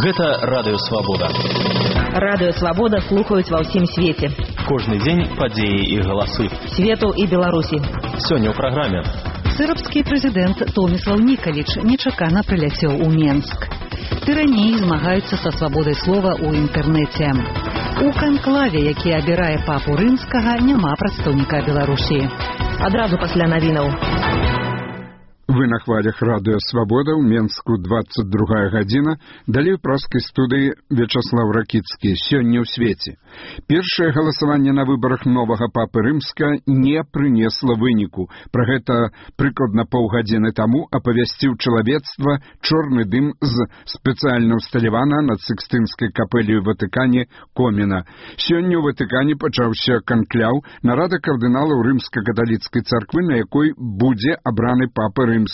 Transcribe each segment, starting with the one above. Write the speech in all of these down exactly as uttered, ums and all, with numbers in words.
Гэта Радыё Свабода. Радыё Свабода слухаюць ва ўсім свеце. Кожны дзень падзеі і галасы. Свету і Беларусі. Сёння ў праграме. Сырабскі прэзідэнт Томіслаў Нікаліч нечакана прыляцеў у Менск. Тыраніі змагаюцца са свабодай слова ў інтэрнэце. У канклаве, які абірае папу рымскага, няма прадстаўніка Беларусі. Адразу пасля навінаў. Вы на хвалях Радыё Свабода, ў Менску двадцать другая гадзіна, далей у праскай студыі Вячаслав Ракіцкі. Сёння ў свеце. Першае галасаванне на выбарах новага папы рымска не прынесла выніку. Пра гэта прыкладна паўгадзіны таму апавясціў чалавецтва чорны дым з спецыяльна ўсталявана над Сікстынскай капэллёй у Ватыкане коміна. Сёння ў Ватыкане пачаўся канкляў, нарада кардыналаў рымска-каталіцкай царквы, на якой будзе абраны папа рымскі.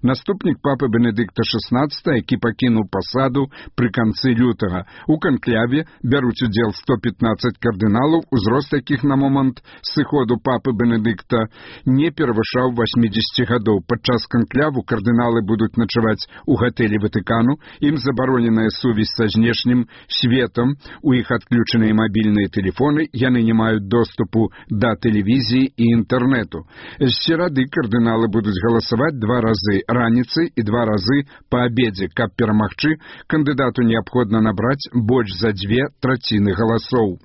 Наступнік папы Бенедыкта шестнадцатага, які пакінуў пасаду пры канцы лютага. У канкляве бяруць удзел сто пятнадцать кардыналаў, узрост якіх на момант сыходу папы Бенедыкта не перавышаў восьмидесяти гадоў. Падчас канкляву кардыналы будуць начаваць у гатэлі Ватыкану, ім забароненая сувязь са знешнім светам, у іх адключаныя мабільныя тэлефоны, яны не маюць доступу да тэлевізіі і інтэрнэту. З серады кардыналы будуць галасаваць два разы раніцай і два разы па абедзе. Каб перамагчы, кандыдату неабходна набраць больш за дзве траціны галасоў.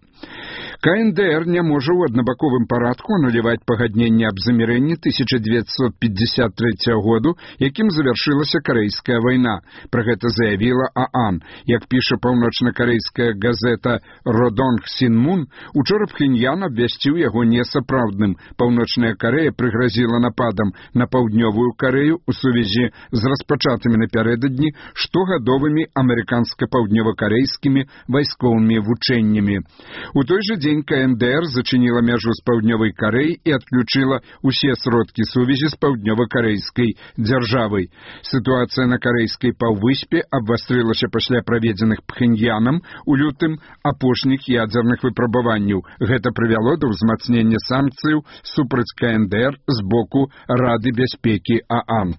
ка эн дэ эр не можа ў аднабаковым парадку ануляваць пагадненне аб замірэнні тысяча дзевяцьсот пятьдесят третьего году, якім завяршылася Карэйская вайна. Пра гэта заявіла ААН. Як піша паўночна-карэйская газета «Родонг Сінмун», учора Пхеньян абвясціў яго несапраўдным. Паўночная Карэя прыгразіла нападам на паўднёвую Карэю ў сувязі з распачатымі напярэдадні штогадовымі амерыканска-паўднёва-карэйскімі вайсковымі вучэннямі. У той жа дзень ка эн дэ эр зачыніла мяжу з паўднёвай Карэяй і адключыла ўсе сродкі сувязі з паўднёва-карэйскай дзяржавай. Сітуацыя на карэйскай паўвыспе абвастрылася пасля праведзеных Пхеньянам у лютым апошніх ядзерных выпрабаванняў. Гэта прывяло да ўзмацнення санкцыяў супраць ка эн дэ эр з боку Рады бяспекі ААН.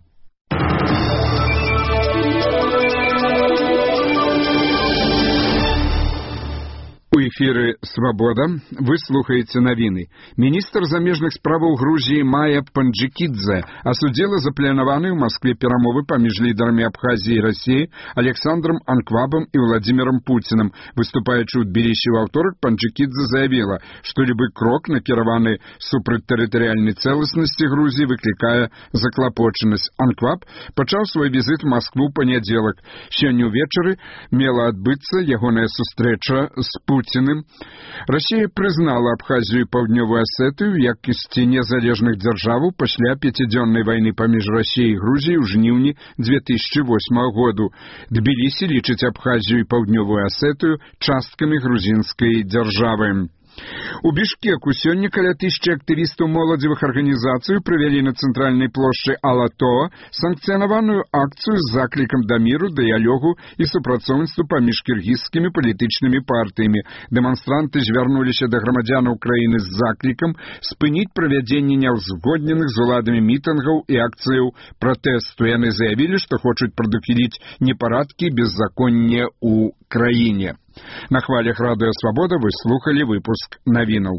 У эфіры «Свабода» вы слухаеце навіны. Міністр замежных справаў Грузіі Майя Панджикидзе асудзіла запланаваны ў Маскве перамовы паміж лідарамі Абхазіі і Расіі Александром Анквабом і Владимиром Путиным. Выступаючы ў Тбілісі ў аўторак, Панджикидзе заявіла, што любы крок, накіраваны супраць тэрытарыяльнай цэласнасці Грузіі, выклікае заклапочанасць. Анкваб пачаў свой візіт у Маскву ў панядзелак. Сёння ўвечары мела адбыцца ягоная сустрэча з Путиным. Расія прызнала Абхазію і Паўднёвую Асетыю як ісці незалежных дзяржаваў пасля пяцідзённай вайны паміж Расіяй і Грузіяй ў жніўні две тысячи восьмого году. Тбілісі лічыць Абхазію і Паўднёвую Асетыю часткамі грузінскай дзяржавы. У Бішкеку сёння каля тысячы актывістаў моладзевых арганізацый правялі на цэнтральнай плошчы Алатоа санкцыянаваную акцыю з заклікам да міру, дыялогу і супрацоўніцтву паміж кіргізскімі палітычнымі партыямі. Дэманстранты звярнуліся да грамадзянаў краіны з заклікам спыніць правядзенне няўзгодненых з уладамі мітынгаў і акцыяў пратэсту. Яны заявілі, што хочуць прадухіліць непарадкі і беззаконне ў краіне. На хвалях Радыё Свабода вы слухалі выпуск навінаў.